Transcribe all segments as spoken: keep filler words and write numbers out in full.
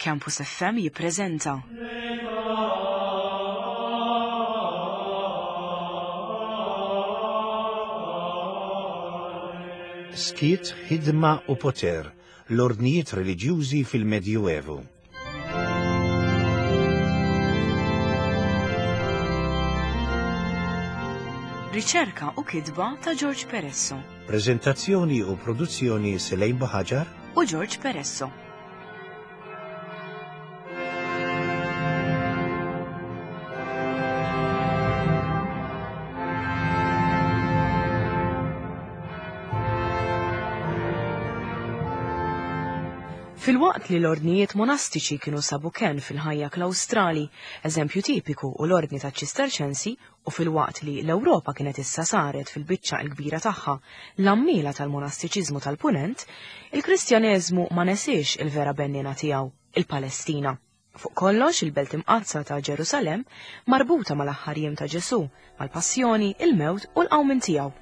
Campus F M jippreżenta Skiet, ħidma u poter, l-ordnijiet reliġjużi fil-Medjuevu. Riċerka u kitba ta' George Peresso. Prezentazzjoni u produzzjoni Selejn Buhaġar u George Peresso. Fil-waqt li l-ordnijiet monastiċi kienu sabu ken fil-ħajja klawstrali, eżempju tipiku u l-ordni ta' ċisterċensi, u fil-waqt li l-Ewropa kienet issa saret fil-biċċa l-kbira tagħha l-għammiela tal-monastiċiżmu tal-Punent, il-Kristjaneżmu ma nesiex il-vera bennina tiegħu, il-Palestina. Fuq kollox il-belt imqaddsa ta' Ġerusalemm marbuta mal-aħħar jiem ta' Ġesù, mal-passjoni, il-mewt u l-qawmien tiegħu.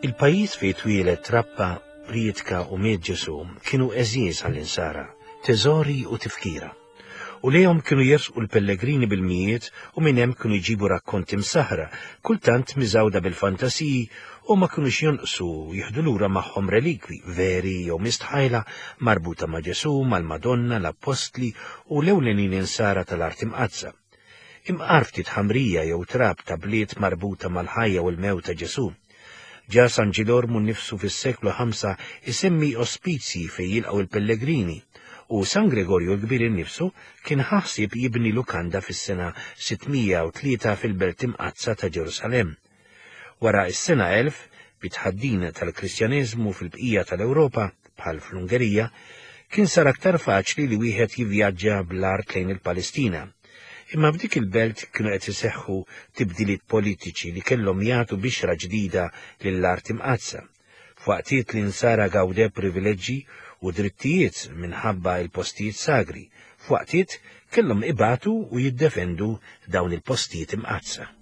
Il-pajjiż fejn twieled trappa, prietka u miet Ġesù kienu għeżież għall-insara, teżori u tifkira. U lejhom kienu jersqu l-pellegrini bil-mijiet u minn hemm kienu jġibu rakkonti msaħra, kultant miżawda bil-fantasiji u ma kinux jonqsu jieħdu lura magħhom relikwi veri jew mistħajla marbuta ma' Ġesù, mal-Madonna, l-Appostli u l-ewlenin insara tal-art imqaddsa. Imqar ftit ħamrija jew trab ta' bliet marbuta mal-ħajja u l-mewt ta' Ġesù. Ġa San Ġilormu nnifsu fis-seklu ħamsa isemmi ospizji fejn jilqgħu il-pellegrini u San Gregorju l-Kbir innifsu kien ħaħsib jibni lukanda fis-sena sittmija u tlieta fil-Belt Imqaddsa ta' Ġerusalemm. Wara s-sena elf, bit-tħaddin tal-Kristjaneżmu fil-bqija tal-Ewropa, bħal fl-Ungerija, kien sar aktar faċli li wieħed jivvjaġġa bl-art lejn il-Palestina. Imma f'dik il-belt kienu qed iseħħu tibdiliet politiċi li kellhom jagħtu bixra ġdida lill-art imqaddsa. F'waqtiet li nsara gawdew privileġġi u drittijiet minħabba il-postijiet sagri, f'waqtiet kellhom ibatu u jiddefendu dawn il-postijiet imqaddsa.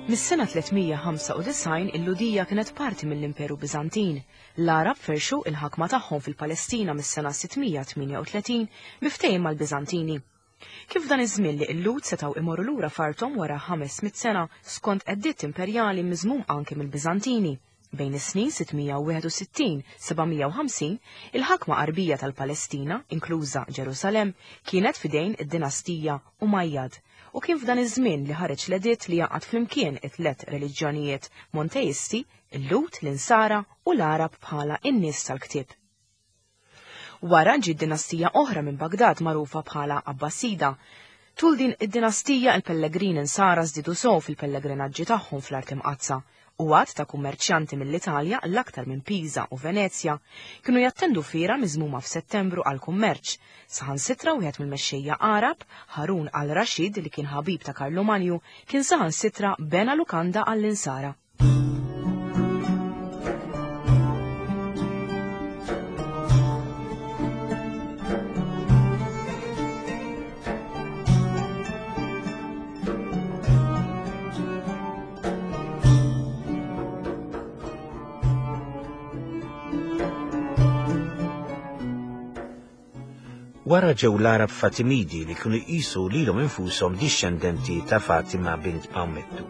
Mis-sena tlietmija ħamsa u disgħin il-Lhudija kienet parti mill-Imperu Biżantin. L-Għarab ferxu il-ħakma tagħhom fil-Palestina mis-sena sittmija tmienja u tletin miftehim mal-Biżantini. Kif dan iż-żmien li l-Lhud setgħu imorru lura f'arthom wara ħames mitt sena skont editt imperjali miżmum anke mill-Biżantini. Bejn is-snin sittmija u wieħed u sittin sebgħamija u ħamsin, il-ħakma Għarbija tal-Palestina, inkluża Ġerusalemm, kienet f'idejn id-dinastija Umayyad. U kien f'dan iż-żmien li ħareġ l-editt li jaqgħad flimkien it-tliet reliġjonijiet monteisti, il-Lhud, l-Insara u l-Għarab bħala n-nies tal-ktieb. Wara ġiet dinastija oħra minn Bagdad magħrufa bħala Abbasida. Tul din id-dinastija il-pellegrini Insara żdiedu sew fil-pellegrinaġġi tagħhom fl-art imqaddsa U għadd ta' kummerċjanti mill-Italja, l-aktar minn Pisa u Venezja, kienu jattendu fiera miżmuma f'Settembru għal kummerċ. Saħansitra wieħed mill-mexxejja Għarab, Harun al-Rashid, li kien ħabib ta' Karlu Manju, kien saħansitra bena lukanda għall-insara. Wara ġew l-Għarab Fatimidi li kienu jqisu lilhom infushom dixxendenti ta' Fatima bint Mawmettu.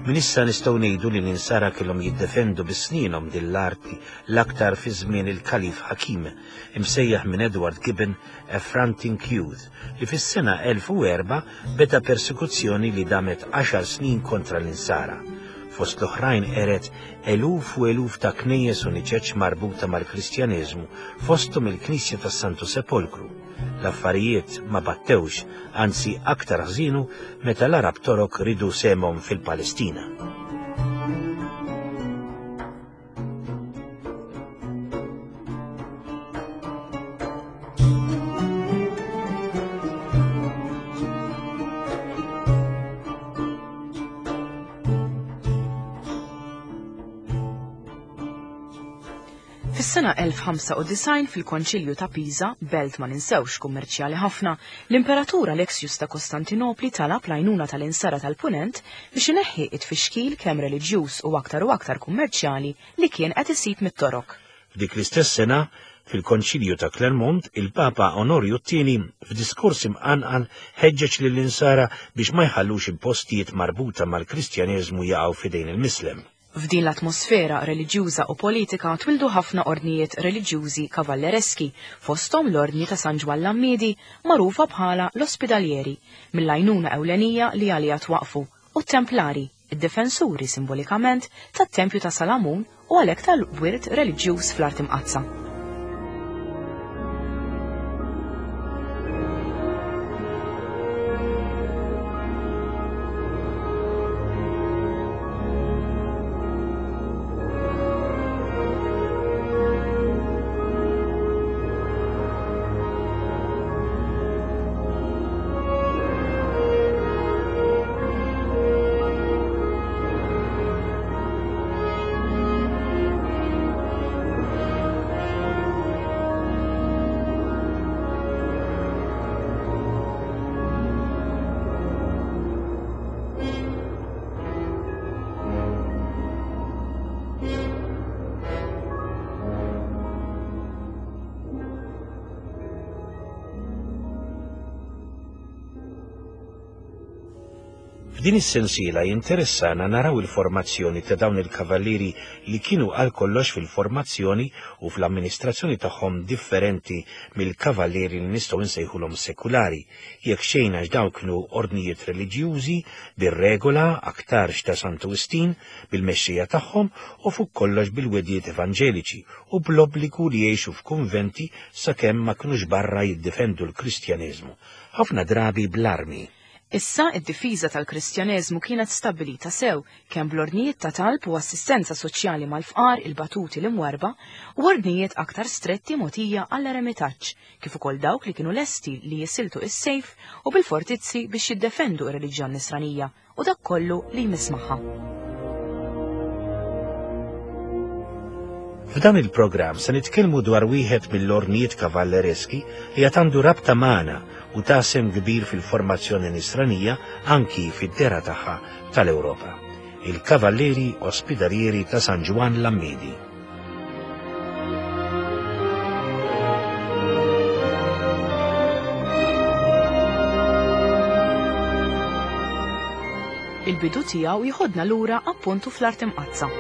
Minn issa nistgħu ngħidu li l-insara kellhom jiddefendu bi sninhom din l-arti l-aktar fi żmien il-Kalif Hakim, imsejjaħ minn Edward Gibbon a Frantic Youth, li fis-sena elf u erba' beda persekuzzjoni li damet għaxar snin kontra l-insara. Fost l-oħrajn qeret eluf u eluf ta' knejjes u niċeċ marbuta mal-Kristjaneżmu, fosthom il-Knisja tas-Santu Sepolkru. L-affarijiet ma battewx, anzi aktar ħżinu meta l-Arab Torok ridu semhom fil-Palestina. Fis-sena elf ħamsa u disgħin fil-Konċilju ta' Pisa, belt ma ninsewx kummerċjali ħafna, l-Imperatur Alexius ta' Kostantinopli talab l-għajnuna tal-insara tal-Punent biex ineħħi it-tfixkil kemm reliġjuż u aktar u aktar kummerċjali li kien qed isib mit-Torok. F'dik l-istess sena, fil-Konċilju ta' Clermont, il-Papa Onorju t-tieni f'diskors imqanqal ħeġġeġ lill-insara biex ma jħallux il-postijiet marbuta mal-Kristjaneżmu jaqgħu f'idejn il-Mislem. F'din l-atmosfera reliġjuża u politika twildu ħafna ordnijiet reliġjużi kavallereski, fosthom l-ordni ta' San Ġwann l-Għammiedi, magħrufa bħala l-Ospidalieri, mill-għajnuna ewlenija li għaliha twaqfu, u t-Templari, id-difensuri simbolikament tat-Tempju ta' Salamun u għalhekk tal-wirt reliġjuż fl-Art Imqaddsa. F'din is-sensiela jinteressana naraw il-formazzjoni ta' dawn il-kavallieri li kienu għal kollox fil-formazzjoni u fl-amministrazzjoni tagħhom differenti mill-kavallieri li nistgħu nsejħulhom sekulari, jekk xejn għax dawn kienu ordnijiet reliġjużi bir-regola aktarx ta' Santu Wistin bil-mexxija tagħhom u fuq kollox bil-wedijiet evanġeliċi u bl-obbligu li jgħixu f'kunventi sakemm ma kinux barra jiddefendu l-Kristjaneżmu, ħafna drabi bl-armi. Issa id-difiża tal-Kristjaneżmu kienet stabbilita sew kemm bl-ordnijiet ta' talb u assistenza soċjali mal-fqar, il-batuti l-imwerba u ordnijiet aktar stretti mogħtija għall-eremitaġġ, kif ukoll dawk li kienu lesti li jisiltu is-sejf u bil-fortizzi biex jiddefendu r-reliġjon nisranija u dak kollu li jmiss magħha. F'dan il-programm se nitkellmu dwar wieħed mill-ordnijiet kavallereski li għad għandu rabta magħna u ta' sehem kbir fil-formazzjoni nisranija anki fid-dera tagħha tal-Ewropa, il-Kavallieri Ospidalieri ta' San Ġwann l-Għammiedi. Il-bidu tiegħu jieħodna lura appuntu fl-Art Imqaddsa.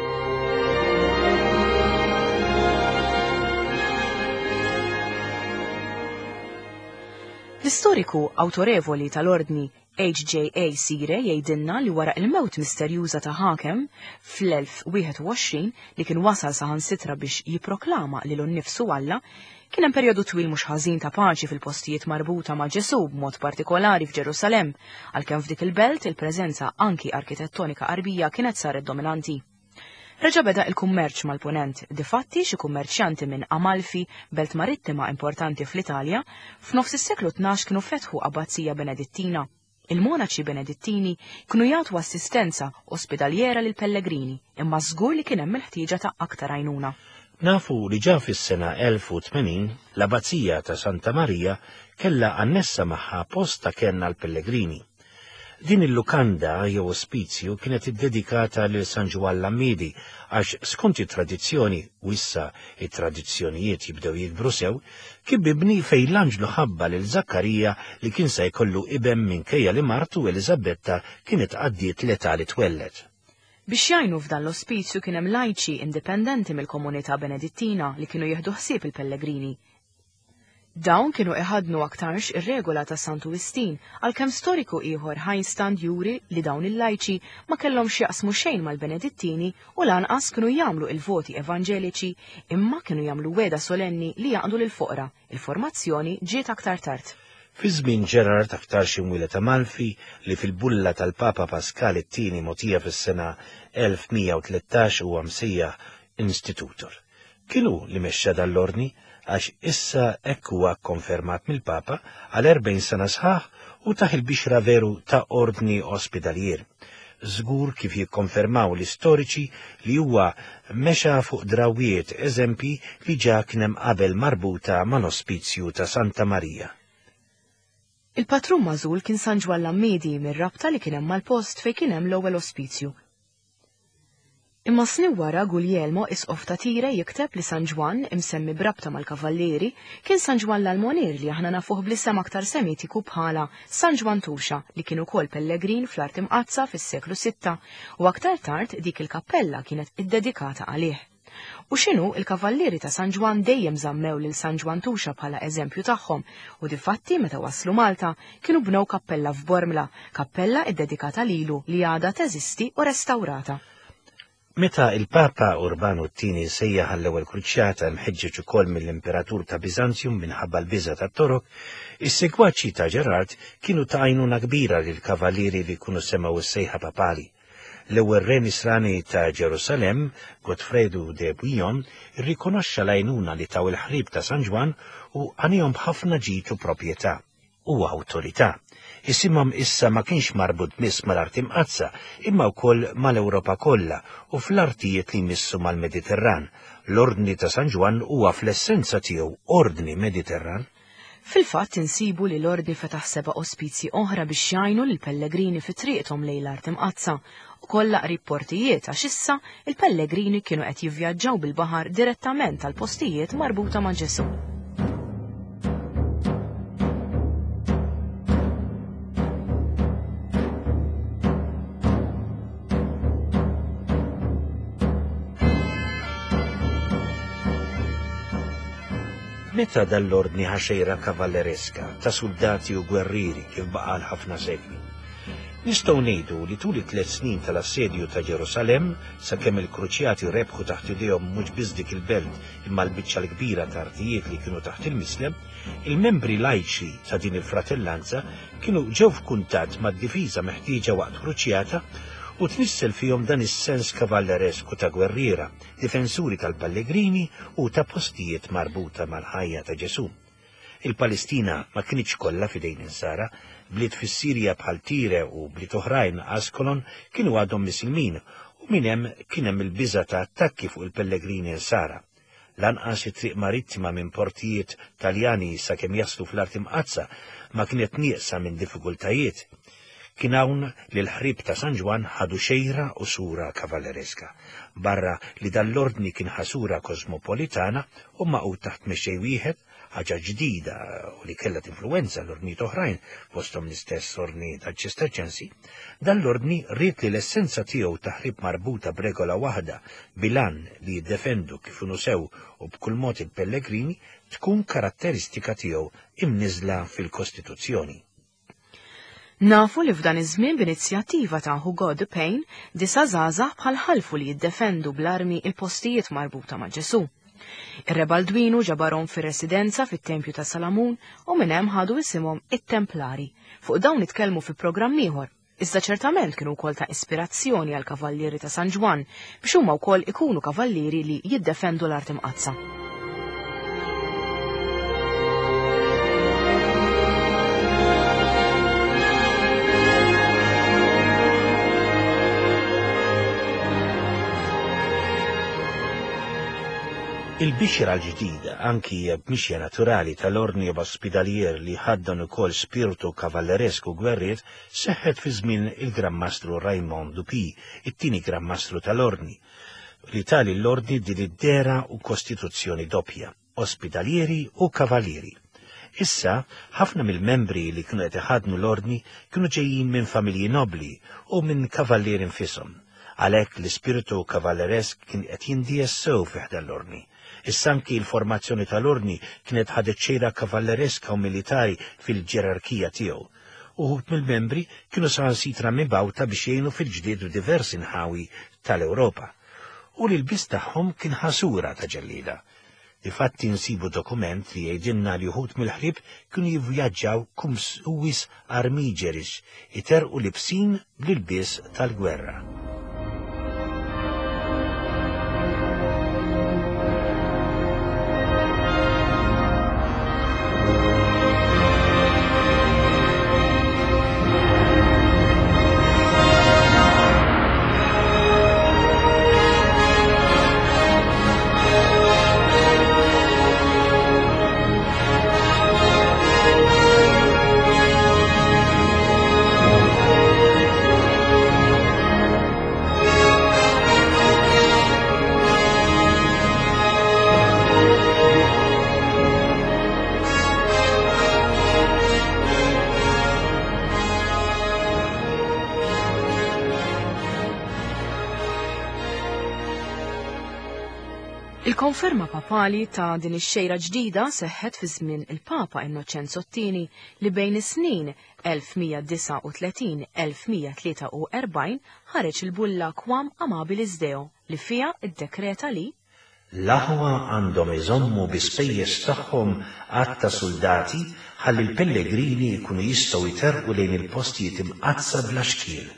L-istoriku awtorevoli tal-ordni H J A Sire jgħidilna li wara il-mewt misterjuża ta' Hakem fl-elf wieħed u għoxrin li kien wasal saħansitra biex jipproklama lilu nnifsu Alla, kien hemm perjodu twil mhux ħażin ta' paċi fil-postijiet marbuta ma' Ġesù b'mod partikolari f'Ġerusalemm, għalkemm f'dik il-belt il-preżenza anki arkitettonika qarbija kienet saret dominanti. Reġa' beda il-kummerċ mal-Punent, difatti xi kummerċjanti minn Amalfi, belt marittima importanti fl-Italja, f'nofs is-seklu tnax kienu fetħu abbazija Benedittina. Il-monaċi Benedittini kienu jagħtu assistenza ospedaliera lil pellegrini, imma żgur li kien hemm il-ħtieġa ta' aktar għajnuna. Nafu li ġa fis-sena elf u tmenin l-Abbazija ta' Santa Marija kellha annessa magħha post ta' kenn għall-pellegrini. Din il-lukanda jew ospizju kienet iddedikata lil San Ġwann Lammidi għax skont it-tradizzjoni, u issa it-tradizzjonijiet jibdew jikbru sew, kien bibni fejn l-anġlu ħabba lil Zakkarija li kien se jkollu ibem minkejja li martu Eliżabetta kienet għaddiet l-età li twellet. Biex jgħinu f'dan l-ospizju kien hemm lajċi indipendenti mill-komunità Benedittina li kienu jieħdu ħsieb il-pellegrini. Dawn kienu iħadnu aktarx ir-regola ta' Santu Wistin, għalkemm storiku ieħor Heinstand juri li dawn il-lajċi ma kellhomx jaqsmu xejn mal-Benedittini u lanqas kienu jagħmlu il-voti evanġeliċi, imma kienu jagħmlu weda solenni li jaqdu lill-foqra. Il-formazzjoni ġiet aktar tard. Fi żmien Gerard aktarx imwieled Amalfi li fil-bulla tal-Papa Pascal it-tieni mogħtija fis-sena elf mija u tlettax huwa msejjaħ Institutor. Kienu li mexxa dan l-ordni għax issa hekk huwa kkonfermat mill-Papa għal erbgħin sena sħaħ u taħ il-bixra veru ta' ordni ospedalier. Żgur kif jikkonfermaw l-istoriċi li huwa mexa fuq drawiet eżempji li ġa kien hemm qabel marbuta mal-ospizju ta' Santa Marija. Il-patrun magħżul kien San Ġwann Lammidi mir-rabta li kien hemm mal-post fejn kien hemm l-ewwel ospizju. Imma snin wara Guglielmo isqof ta' Tire jikteb li San Ġwann imsemmi brabta mal-Kavallieri kien San Ġwann l-Almonier li aħna nafuh bl-isem aktar semitiku bħala San Ġwann Tuxa li kien ukoll pellegrin fl-Art Imqaddsa fis-seklu sitta u aktar tard dik il-kappella kienet iddedikata għalih. U x'inhu il-Kavallieri ta' San Ġwann dejjem żammew lil San Ġwann Tuxa bħala eżempju tagħhom u difatti meta waslu Malta kienu bnew kappella f'Bormla, kappella iddedikata lilu li għadha teżisti u restawrata. Meta il-Papa Urbanu t-tieni sejjaħ għall-ewwel kruċjata mħeġġeġ ukoll mill-Imperatur ta' Biżanzjum minħabba l-biża' tat-Torok, is-segwaċi ta' Gerard kienu ta' għajnuna kbira lill-kavallieri li jkunu semgħu s-sejħa papali. L-ewwel re Nisrani ta' Ġerusalemm, Godfredu de Bouillon, irrikonoxxa l-għajnuna li taw il-ħrib ta' San Ġwann u għanihom b'ħafna ġid u proprjetà u awtorità. Isimhom issa ma kienx marbut biss mal-Art Imqaddsa, imma wkoll mal-Ewropa kollha u fl-artijiet li jmissu mal-Mediterran. L-Ordni ta' San Ġwann huwa fl-essenza tiegħu Ordni Mediterran. Fil-fatt insibu li l-Ordni fetaħ seba' ospizji oħra biex jgħinu lill-pellegrini fi triqthom lejn l-Art Imqaddsa u kollha qrib portijiet għax issa il-pellegrini kienu qed jivvjaġġaw bil-baħar direttament għal postijiet marbuta ma' Ġesù. Meta dal-ordni ħaxejra kavallereska ta' soldati u gwerrieri kif baqa' għal ħafna sekli? Nistgħu ngħidu li tul it-tliet snin tal-assedju ta' Ġerusalemm, sakemm il-kruċjati rebħu taħt idejhom mhux biss dik il-belt imma l-biċċa l-kbira ta' artijiet li kienu taħt il-Mislem, il-membri lajċi ta' din il-fratellanza kienu ġew f'kuntatt mad-difiża meħtieġa waqt kruċjata u tnissel fihom dan is-sens kavalleresku ta' gwerriera, difensuri tal-pellegrini u ta' postijiet marbuta mal-ħajja ta' Ġesù. Il-Palestina ma kinitx kollha f'idejn insara, bliet fis-Sirja bħal Tire u bliet oħrajn Askolon kienu għadhom Misilmin u minn hemm kien hemm il-biża' ta' attakki fuq il-pellegrini insara. Lanqas it-triq marittima minn portijiet Taljani sakemm jaslu fl-Art Imqaddsa ma kienet nieqsa minn diffikultajiet. Kien hawn li l-ħrib ta' San Ġwann ħadu xejra u sura kavallereska, barra li dan l-ordni kien ħasura kosmopolitana u maqgħud taħt mexxej wieħed, ħaġa ġdida u li kellha tinfluwenza l-ordnijiet oħrajn fosthom l-istess ordni tal-Ċisterċensi. Dan l-ordni ried li l-essenza tiegħu ta' ħrib marbuta b'regola waħda bilan li jiddefendu kif inhu sew u b'kull mod il-pellegrini tkun karatteristika tiegħu imniżla fil-Kostituzzjoni. Nafu li f'dan iż-żmien b'inizjattiva ta' Hugo de Payne disa' żgħażagħ bħal ħalfu li jiddefendu bl-armi il-postijiet marbuta ma' Ġesù. Ir-Re Baldwinu ġabarhom fir-residenza fit-Tempju ta' Salamun u minn hemm ħadu isimhom it-Templari. Fuq dawn nitkellmu fi programm ieħor. Iżda ċertament kienu wkoll ta' ispirazzjoni għal kavallieri ta' San Ġwann biex huma wkoll ikunu kavallieri li jiddefendu l-Art Imqaddsa. Il-bixra l-ġdida, anki b'mixja naturali tal-Ordni Ospitalier li ħaddan ukoll spiritu kavalleresku gwerriet, seħħet fi żmien il-Gran Mastru Raymond Dupi, it-tieni Gran Mastru tal-Ordni, li tali l-Ordni din id-dera u kostituzzjoni doppja, ospitalieri u kavallieri. Issa, ħafna mill-membri li kienu qed iħadnu l-Ordni kienu ġejjin minn familji nobli u minn kavallieri nfishom. Għalhekk l-ispiritu kavalleresk kien qed jindies sew fi ħdan l-Ordni. Issa anki l-formazzjoni tal-Ordni kienet ħadet xejra kavallereska u militari fil-ġerarkija tiegħu. Uħud mill-membri kienu saħansitra mibgħuta biex jgħinu fil-ġlied f'diversi nħawi tal-Ewropa. U li l-biss tagħhom kien ħasura ta' ġellieda. Difatti nsibu dokument li jgħidilna li uħud mill-ħrieb kienu jivvjaġġaw cum suis armigeris, iterqu libsin bl-ilbies tal-gwerra. Il-konferma papali ta' din ix-xejra ġdida seħħet fi żmien il-Papa Innoċenzo t-tieni li bejn is-snin elf mija disgħa u tletin elf mija tlieta u erbgħin ħareġ il-bulla Quam Amabilis Deo li fiha iddekreta li l-aħwa għandhom iżommu bi spejjeż tagħhom għadd ta' soldati ħalli l-pellegrini jkunu jistgħu jterqu lejn il-postijiet imqaddsa bla xkiel.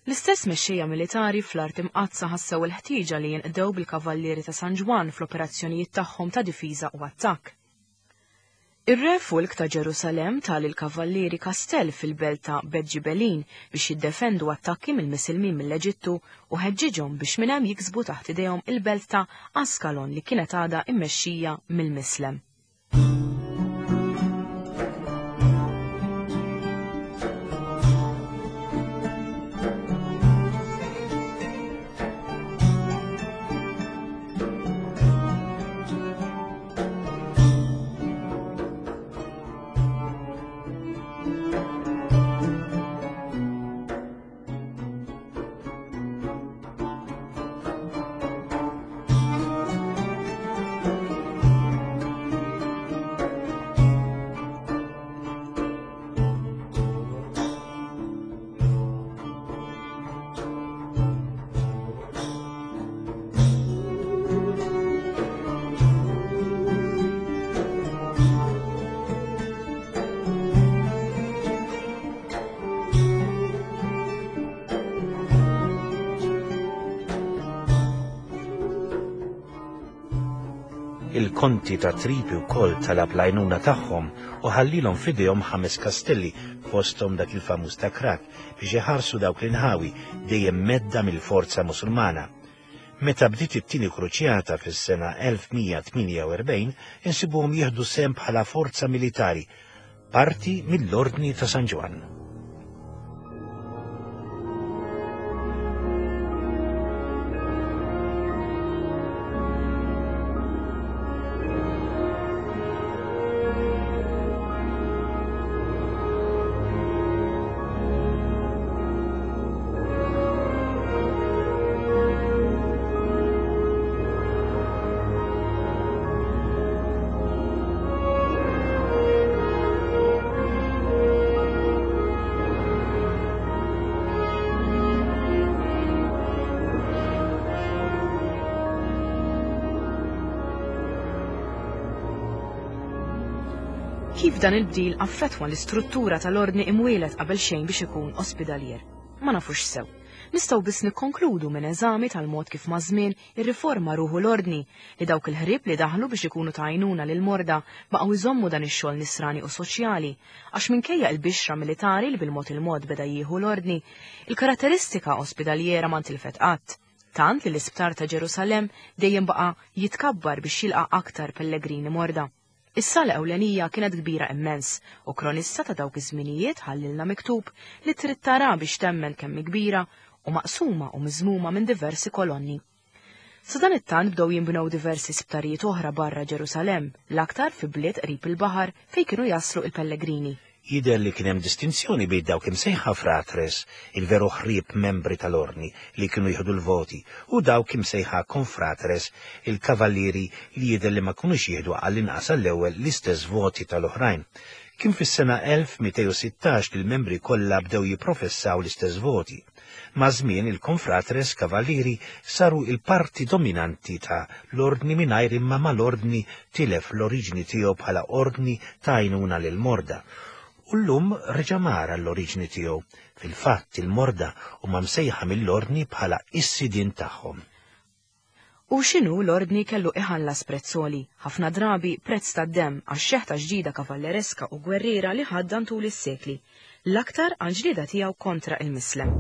L-istess mexxejja militari fl-Art Imqaddsa ħassew il-ħtieġa li jinqdew bil-kavallieri ta' San Ġwann fl-operazzjonijiet tagħhom ta' difiża u attakk. Ir-re Fulk ta' Ġerusalemm tal il-kavallieri kastell fil-belt ta' Bedġibelin biex jiddefendu attakki mill-Misilmin mill-Eġittu u ħeġġiġhom biex minn hemm jiksbu taħt idejhom il-belt ta' Askalon li kienet għadha immexxija mill-Mislem. Il-konti ta' Tripi wkoll talab l-għajnuna tagħhom u ħallilhom f'idejhom ħames kastelli fosthom dak il-famuż ta' Krak biex iħarsu dawk l-inħawi dejjem medda mill-forza Musulmana. Meta bdiet it-tieni kruċjata fis-sena elf mija tmienja u erbgħin insibuhom jieħdu sehem bħala forza militari, parti mill-Ordni ta' San Ġwann. Kif dan il-bdil affettwa l-istruttura tal-ordni imwielet qabel xejn biex ikun ospidalier? Ma nafux sew. Nistgħu biss nikkonkludu minn eżami tal-mod kif maż-żmien irriforma ruħu l-ordni li dawk il-ħrieb li daħlu biex ikunu ta' għajnuna lil morda baqgħu jżommu dan ix-xogħol nisrani u soċjali, għax minkejja l-bixra militari li bil-mod il-mod beda jieħu l-ordni, il-karatteristika ospidaliera ma ntilfet qatt. Tant li l-isptar ta' Ġerusalemm dejjem baqa' jitkabbar biex jilqa' aktar pellegrini morda. Is-sala ewlenija kienet kbira immens u kronista ta' dawk iż-żminijiet ħallilna miktub li trid tara biex temmen kemm kbira u maqsuma u miżmuma minn diversi kolonni. Sa dan it-tant bdew jinbnew diversi sptarijiet oħra barra Ġerusalemm, l-aktar fi bliet qrib il-baħar fejn kienu jaslu il-pellegrini. Jidher li kien hemm distinzjoni bejn dawk imsejħa fratres, il-veru ħrieb membri tal-ordni li kienu jieħdu l-voti, u dawk imsejħa konfratres, il-kavallieri li jidher li ma kinux jieħdu għall-inqas għall-ewwel l-istess voti tal-oħrajn. Kien fis-sena elf mitejn u sittax li l-membri kollha bdew jipprofessaw l-istess voti. Maż-żmien il-konfratres kavallieri saru il-parti dominanti ta' l-ordni mingħajr imma mal-ordni tilef l-oriġini tiegħu bħala ordni ta' għajnuna lil-morda. U llum reġa' mar għall-oriġini tiegħu. Fil-fatt il-morda huma msejħa mill-ordni bħala is-sidien tagħhom. U x'inhu l-ordni kellu iħallas prezzoli, ħafna drabi prezz tad-demm għax-xeħta ġdida kavallereska u gwerriera li ħaddan tul is-sekli, l-aktar għal ġlieda tiegħu kontra il-Mislem.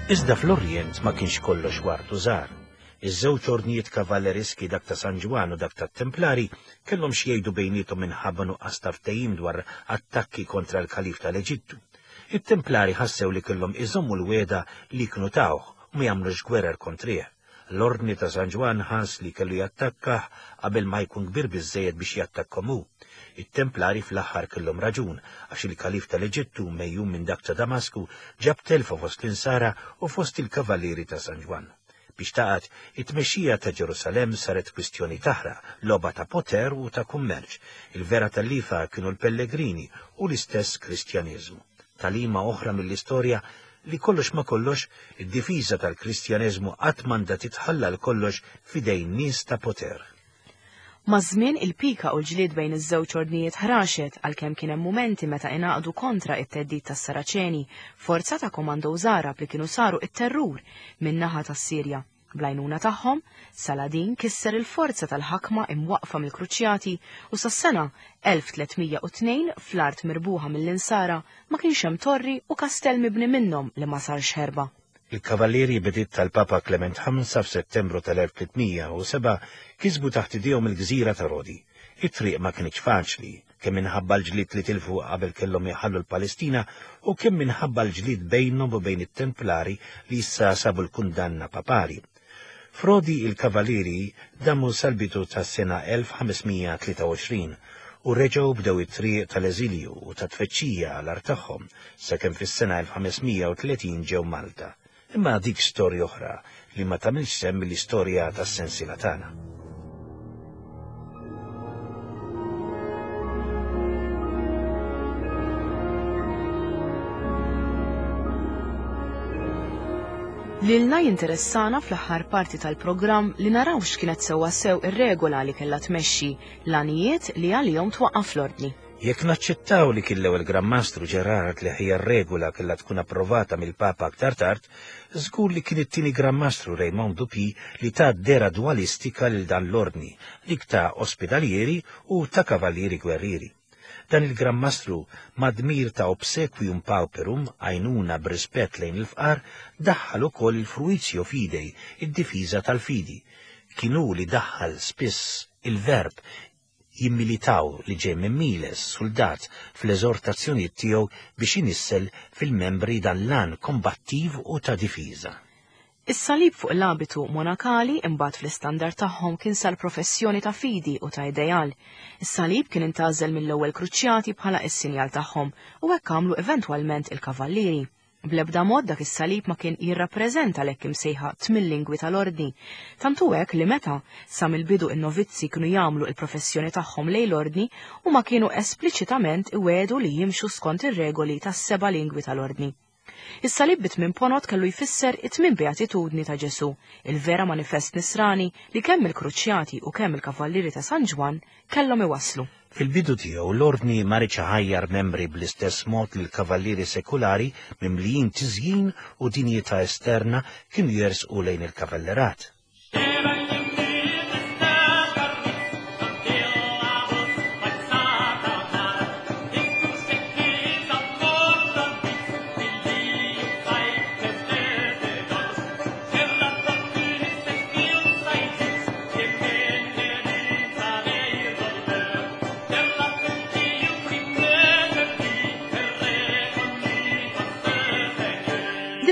Iżda fl-Orjent ma kienx kollox ward u żgħar. Iż-żewġ ordnijiet kavalleriski dak ta' San Ġwann u dak tat-Templari kellhom xi jgħidu bejniethom minħabba nuqqas ta' ftehim dwar attakki kontra l-Kalif tal-Eġittu. It-Templari ħassew li kellhom iżommu l-weda li kienu tawh u ma jagħmlux gwerer kontrih. L-ordni ta' San Ġwann ħass li kellu jattakkah qabel ma jkun kbir biżżejjed biex jattakkhom hu. It-Templari fl-aħħar kellhom raġun għax il-Kalif tal-Eġittu mejjum minn dak ta' Damasku ġab telfa fost l-Insara u fost il-Kavallieri ta' San Ġwann. Biex taqgħod, it-tmexxija ta' Ġerusalemm saret kwistjoni taħraq, logħba ta' poter u ta' kummerċ. Il-vera tal-lifa kienu l-pellegrini u l-istess Kristjaniżmu. Talima oħra mill-istorja li kollox ma kollox, id-difiża tal-Kristjaneżmu qatt m'għandha titħalla l kollox f'idejn nies ta' poter. Maż-żmien il-pika u l-ġlied bejn iż-żewġ ordnijiet ħraxet għalkemm kien hemm mumenti meta ingħaqdu kontra it-theddid tas-Saraċeni, forza ta' komandos Arab li kienu saru it-terrur min-naħa tas-Sirja. Bl-għajnuna tagħhom, Saladin kisser il-forza tal-ħakma imwaqfa mill-Kruċjati u sas-sena elf tliet mija u tnejn fl-art mirbuħa mill-Insara ma kienx hemm torri u kastell mibni minnhom li ma sarx ħerba. Il-Kavallieri bediet tal-Papa Clement ħamsa f'Settembru tal-elf tliet mija u seba' kisbu taħt idejhom il-gżira ta' Rodi. It-triq ma kienx faċli, kemm minħabba l-ġlied li tilfu qabel kellhom jħallu l-Palestina u kemm minħabba l-ġlied bejnhom u bejn it-Templari li issa sabu l-kundanna papali. F'Rodi il-Kavallieri damu sal-bidu tas-sena elf ħames mija tlieta u għoxrin u reġgħu bdew it-triq tal-eżilju u ta' tfeċċija għal art tagħhom sakemm fis-sena elf ħames mija u tletin ġew Malta. Imma dik storja oħra li ma tagħmilx semm mill-istorja tas-sensiela tagħna. Lilna jinteressana fl-aħħar parti tal-programm li naraw x'kienet sewwa sew ir-regola li kellha tmexxi l-għanijiet li għalihom twaqqaf l-ordni. Jekk naċċettaw li kien l-ewwel Gran Mastru Gerard li ħija r-regola kellha tkun approvata mill-Papa aktar tard, żgur li kien it-tieni Gran Mastru Raymond du Puy li ta dera dualistika lil dan l-ordni, dik ta' ospedalieri u ta' kavallieri gwerrieri. Dan il-Gran Mastru madmir ta' obsequium pauperum, għajnuna b'rispett lejn il-fqar, daħħal ukoll il-fruitio fidei, id-difiża tal-fidi. Kien hu li daħħal spiss il-verb jimmilitaw li ġej minn miles, soldat, fl-eżortazzjonijiet tiegħu biex inissel fil-membri dan l-għan kombattiv u ta' difiża. Is-salib fuq l-abitu monakali imbagħad fl-istandard tagħhom kien sar professjoni ta' fidi u ta' ideal. Is-salib kien intgħażel mill-ewwel kruċjati bħala s-sinjal tagħhom u hekk għamlu eventwalment il-kavallieri. Bl-ebda mod dak is-salib ma kien jirrappreżenta l-hekk imsejħa tmien lingwi tal-ordni. Tant hu hekk li meta sa mill-bidu in-novizzi kienu jagħmlu l-professjoni tagħhom lejn l-ordni, huma kienu espliċitament iwiegħdu li jimxu skont ir-regoli tas-seba' lingwi tal-ordni. Is-salib bi tmien ponot kellu jfisser it-tmien beatitudni ta' Ġesù, il-vera manifest nisrani li kemm il-kruċjati u kemm il-kavallieri ta' San Ġwann kellhom iwasslu. Fil-bidu tiegħu l-ordni ma riedx iħajjar membri bl-istess mod li l-kavallieri sekulari mimlijin tiżjin u dinjità esterna kienu jersqu lejn il-kavallerat.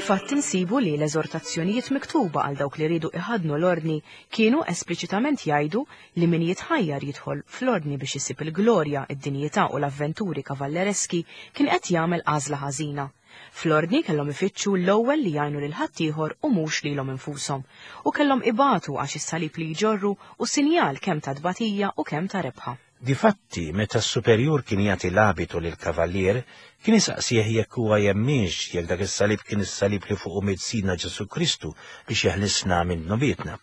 Difatti insibu li l-eżortazzjonijiet miktuba għal dawk li riedu iħaddnu l-ordni kienu espliċitament jgħidu li min jitħajjar jidħol fl-ordni biex isib il-glorja, id-dinjità u l-avventuri kavallereski kien qed jagħmel għażla ħażina. Fl-ordni kellhom ifittxu l-ewwel li jgħinu lil ħaddieħor u mhux lilhom infushom, u kellhom ibatu għax is-salib li jġorru u sinjal kemm ta' tbatija u kemm ta' rebħa. Difatti, meta s-superjur kien jagħti l-abitu lil kavallier, kien isaqsih jekk huwa jemminx jekk dak is-salib kien is-salib li fuqu miet Sidna Ġesù Kristu biex jeħlisna minn dnubietna.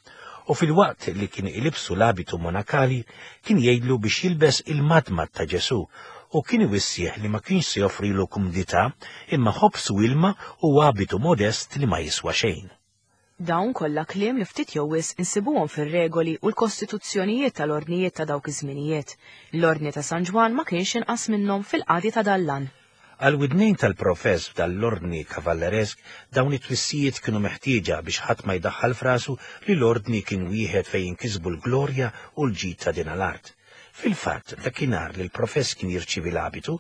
U fil-waqt li kien ilibsu l-abitu monakali, kien jgħidlu biex jilbes il-madmad ta' Ġesù u kien iwissih li ma kienx se joffrilu kumdità imma ħobż u ilma u abitu modest li ma jiswa xejn. Dawn kollha kliem li ftit jew wisq insibuhom fir-regoli u l-kostituzzjonijiet tal-ordnijiet ta' dawk iż-żminijiet. L-ordni ta' San Ġwann ma kienx inqas minnhom fil-qadi ta' dallan. Għal widnejn tal-profess f'dal-ordni kavalleresk, dawn it-twissijiet kienu meħtieġa biex ħadd ma jdaħħal f'rasu li l-ordni kien wieħed fejn jinkisbu l-glorja u l-ġid ta' din l-art. Fil-fatt, dakinhar li l-profess kien jirċievi l-abitu,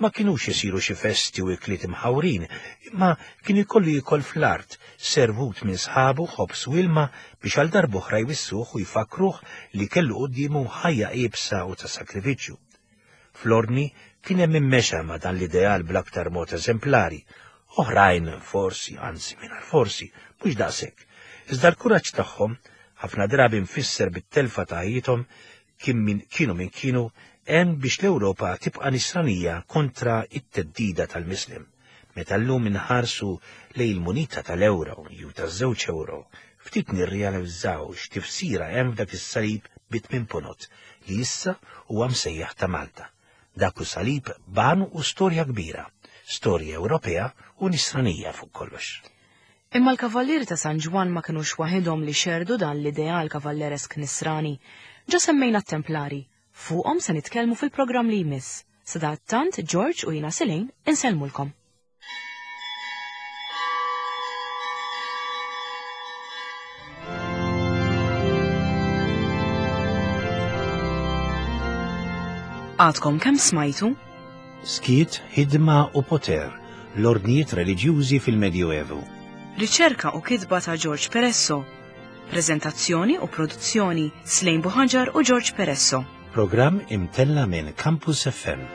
ma kinux isiru xi festi u ikliet imħawrin, imma kien ikollu jiekol fl-art, servut minn sħabu ħobż u ilma biex għal darb'oħra jwissuh u jfakruh li kellu quddiemu ħajja iebsa u ta' sakrifiċċju. Fl-ordni kien hemm immexa ma' dan l-ideal bl-aktar mod eżemplari, oħrajn forsi, anzi mingħajr forsi, mhux daqshekk. Iżda l-kuraġġ tagħhom, ħafna drabi mfisser bit-telfa ta' ħajjithom, kien min kienu min kienu hemm biex l-Ewropa tibqa' nisranija kontra it-teddida tal-Muslim. Meta llum inħarsu lejn il-munita tal-euro jew taż-żewġ euro, ftit nirrealizzaw x'tifsira hemm f'dak is-salib bi tmien ponot li issa huwa msejjaħ ta' Malta. Dak hu salib b'għan u storja kbira, storja Ewropea u nisranija fuq kollox. Imma l-kavallieri ta' San Ġwann ma kinux waħedhom li xerdu dan l-ideal kavalleresk nisrani. Ġa semmejna t-Templari, fuqhom se nitkellmu fil-programm li jmiss. Sadattant George u jiena Selene insellmulkom. Għadkom kemm smajtu? Skiet, ħidma u poter, l-ordnijiet reliġjużi fil-Medjuevu. Riċerka u kitba ta' George Peresso. Prezentazzjoni u produzzjoni Slejn Buħaġar u George Peresso. Programm imtella minn Campus F M.